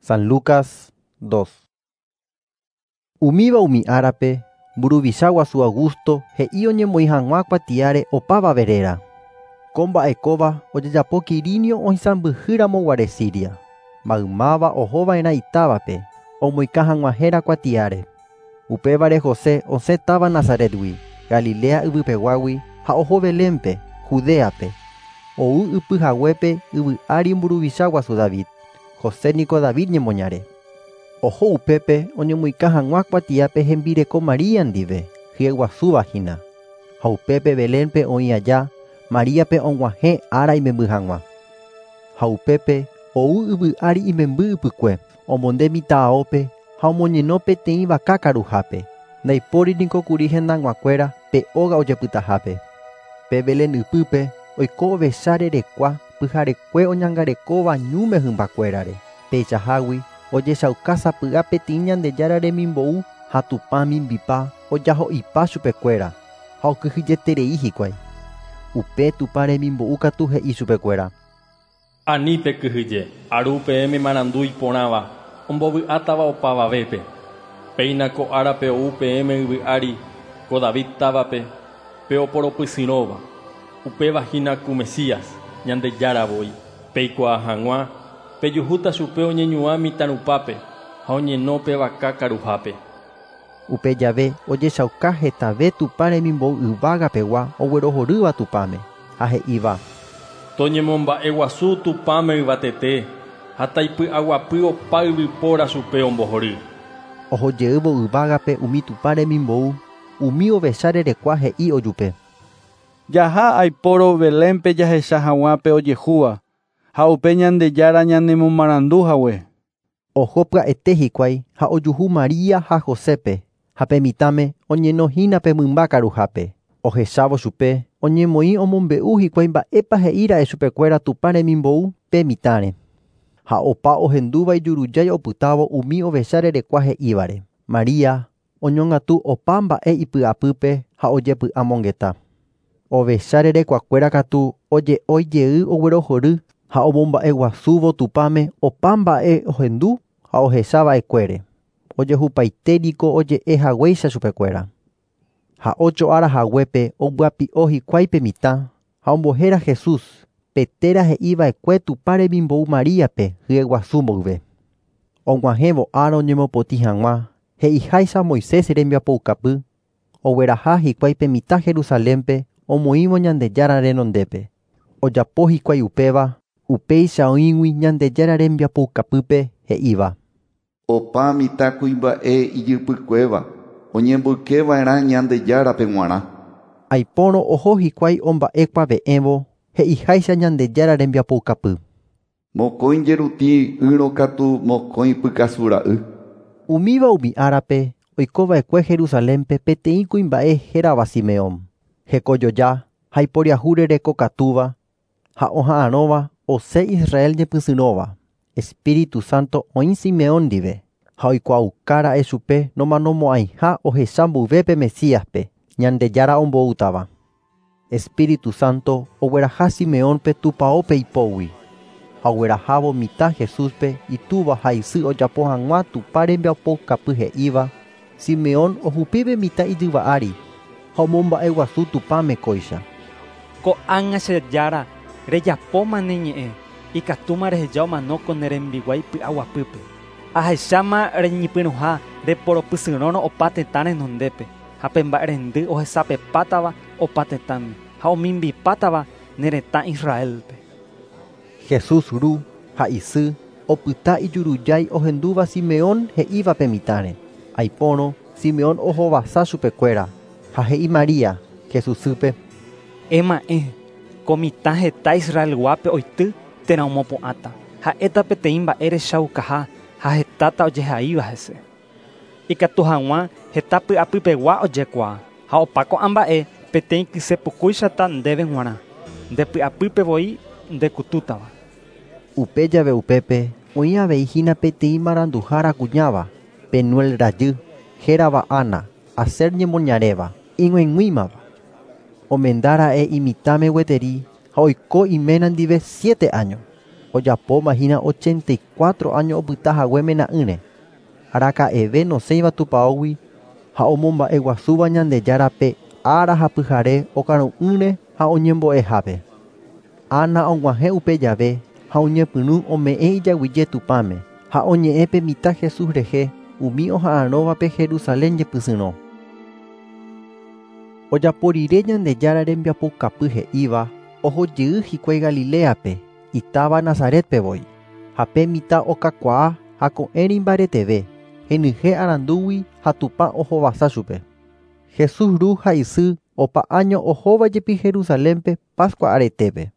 San Lucas 2. Umíva umi árape, mburuvicha guasu Augusto he'i oñemoĩ hag̃ua kuatiáre opavave réra. Ko mba'e kóva ojejapo Quirinio oisãmbyhýramo guare Siria. Maymáva ohova'erã itávape, omoĩka hag̃ua héra kuatiáre. Upévare José osẽ táva Nazaret-gui, Galilea yvypeguágui ha oho Belén-pe, Judea-pe. Ou ypy haguépe yvy ári mburuvicha guasu David. José niko David ñemoñare. Oho upépe oñemoĩka hag̃ua kuatiápe hembireko María ndive, hyeguasúva hína. Ha upépe Belén-pe oĩ aja, Maríape og̃uahẽ ára imemby hag̃ua. Ha upépe ou yvy ári imemby ypykue, omonde mitã aópe ha omoñeno peteĩ vaka karuhápe. Ndaipóri niko kuri hendag̃uakuéra pe óga ojepytahápe. Pe Belén ypýpe oiko ovecha rerekua pyharekue oñangarekóva ñúme hymbakuérare. Peichahágui ojechauka sapy'a peteĩ Ñandejára remimbou ha Tupã mimbipa ojaho'ipa chupekuéra ha okyhyjeterei hikuái. Upe Tupã remimbou katu he'i chupekuéra. Ani pekyhyje, aru peẽme marandu iporãva, ombovy'átava opavavépe. Péina ko árape ou peẽme yvy ári, ko David távape, pe oporopysyrõva. Upéva hína ku Mesías, Ñandejára voi. Peikuaa hag̃ua, pejuhúta chupe oñeñuã mitãrupápe ha oñeno pe vaka karuhápe. Upe jave ojechauka hetave Tupã remimbou yvágapegua oguerohorýva Tupãme ha he'íva. Toñemomba'eguasu Tupãme yvatete ha taipy'aguapy opa yvypóra chupe ombohory. Ohojeývo yvágape umi Tupã remimbou, umi ovecha rerekua he'i ojupe. Jaha aipóro Belénpe jahecha hag̃ua pe ojehúva ha upe Ñandejára ñanemomarandu hague. Oho pya'ete hikuái ha ojuhu María ha Josépe ha pe mitãme oñenohína pe mymba karuhápe. Ohechávo chupe oñemoĩ omombe'u hikuái mba'épa he'íra'e chupekuéra Tupã remimbou pe mitãre. Ha opa ohendúva ijurujái opytávo umi ovecha rerekua he'ívare. María oñongatu opa mba'e ipy'apýpe ha ojepy'amongeta. Ovecha rerekuakuéra katu oje'ói jey oguerohory ha omomba'eguasúvo Tupãme opa mba'e ohendu ha ohechava'ekuére. Ojehupaite niko oje'e haguéicha chupekuéra. Ha ocho ára haguépe ombyapi'o hikuái pe mitã ha ombohéra Jesús, pe téra he'iva'ekue Tupã remimbou Maríape hyeguasu mboyve. Og̃uahẽvo ára oñemopotĩ hag̃ua, he'iháicha Moisés rembiapoukapy, ogueraha hikuái pe mitã Jerusalénpe omoĩvo Ñandejára renondépe. Ojapo hikuái upéva, upéicha oĩgui Ñandejára rembiapoukapýpe he'íva. Opa mitãkuimba'e ijypykuéva oñemboykeva'erã Ñandejárape g̃uarã. Aipórõ oho hikuái omba'ekuave'ẽvo he'iháicha Ñandejára rembiapoukapy. Mokõi jeruti ýrõ katu mokõi pykasu ra'y. Umíva umi árape oikova'ekue Jerusalénpe peteĩ kuimba'e hérava Simeón. Hekojoja ha iporiahu rekokatúva ha oha'arõva osẽ Israel ñepysyrõva. Espíritu Santo oĩ Simeón ndive ha oikuaukára'e chupe nomanomo'ãiha ohecha mboyve pe Mesíaspe, Ñandejára omboútava. Espíritu Santo ogueraha Simeónpe tupãópe ipógui ha oguerahávo mitã Jesúspe itúva ha isy ojapo hag̃ua Tupã rembiapoukapy he'íva, Simeón ohupípe mitã ijyva ári ha omomba'eguasu Tupãme kóicha. Ko'ág̃a che Jára rejapóma ne ñe'ẽ, ikatúma reheja omano ko ne rembiguái py'aguapýpe. Ahecháma reñepyrũha reporopysyrõrõ opa tetã renondépe ha pe mba'erendy ohesapepátava opa tetãme ha omimbipátava ne retã Israelpe. Jesús ru ha isy opyta ijurujái ohendúva Simeón he'íva pe mitãre. Aipórõ Simeón ohovasa chupekuéra ha he'i María, Jesús sýpe. Ema'ẽ, ko mitã heta Israelguápe oity térã omopu'ãta. Ha'éta peteĩ mba'e rechaukaha ha hetáta ojehaíva hese. Ikatu hag̃ua heta py'apypegua ojekuaa ha opa ko'ã mba'e peteĩ kysepukúichata ndéve g̃uarã. Nde py'apýpe voi ndekutútava. Upe jave upépe oĩ avei hína peteĩ maranduhára kuñáva, Penuel rajy, hérava Ana, Aser ñemoñaréva, ig̃uaig̃uímava. Omendára'e imitãme gueteri ha oiko iména ndive 7 año. Ojapóma hína 84 áño opyta hague mena'ỹre. Araka'eve nosẽiva tupãógui ha omomba'eguasúva Ñandejárape ára ha pyhare okaru'ỹre ha oñembo'ehápe. Ana og̃uahẽ upe jave ha oñepyrũ ome'ẽ ijaguyje Tupãme ha oñe'ẽ pe mitã Jesús rehe umi oha'arõvape Jerusalén jepysyrõ. Ojapo rire Ñandejára rembiapoukapy he'íva ohojey hikuái Galileape itáva Nazaretpe voi. Ha pe mitã okakuaa ha ko'ẽre imbareteve, henyhẽ arandúgui ha Tupã ohovasa chupe. Jesús ru ha isy opa áño ohóvajepi Jerusalénpe Pascua aretépe.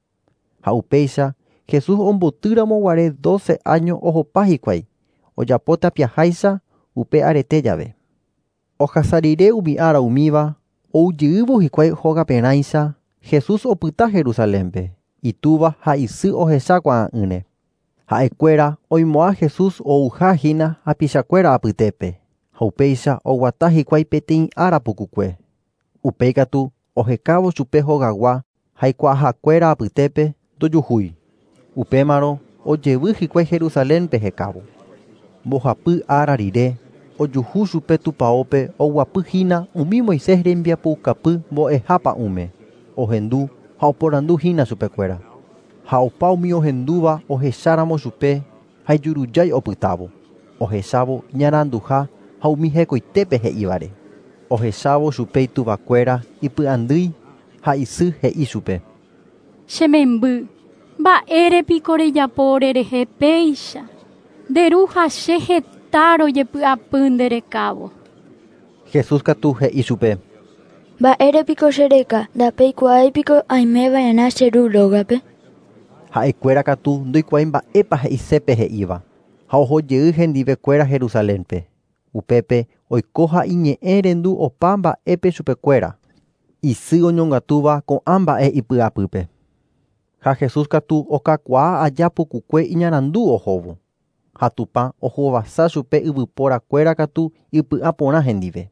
Ha upéicha Jesús ombotýramo guare 12 áño ohopa hikuái, ojapo tapiaháicha upe arete jave. Ohasa rire umi ára umíva oujeývo hikuái hógaperãicha Jesús opyta Jerusalénpe, itúva ha isy ohechakuaa'ỹre. Ha'ekuéra oimo'ã Jesús ouhahína hapichakuéra apytépe ha upéicha oguata hikuái peteĩ ára pukukue. Upéi katu ohekávo chupe hogagua haikuaahakuéra apytépe ndojuhúi. Upémarõ ojevy hikuái Jerusalénpe hekávo. Mbohapy ára rire ojuhu chupe tupãópe oguapyhína umi Moisés rembiapoukapy mbo'eha pa'ũme. Ohendu ha oporanduhína chupekuéra. Ha opa umi ohendúva ohecháramo chupe ha ijurujái opytávo. Ohechávo iñaranduha ha umi hekoitépe he'ívare. Ohechávo chupe ituvakuéra ipy'andýi ha isy he'i chupe. Che memby, mba'érepiko rejapo orerehe péicha. Nde ru ha che heta rojepy'apy nderekávo. Jesús katu he'i chupe. Mba'érepiko chereka, ndapeikuaáipiko aimeva'erã che ru rógape. Ha'ekuéra katu ndoikuaái mba'épa he'isépe he'íva ha ohojey hendivekuéra Jerusalénpe. Upépe oiko ha iñe'ẽrendu opa mba'épe chupekuéra. Isy oñongatúva ko'ã mba'e ipy'apýpe. Ha Jesús katu okakuaa aja pukukue iñarandu ohóvo. Ha Tupã ohovasa chupe yvyporakuéra katu ipy'aporã hendive.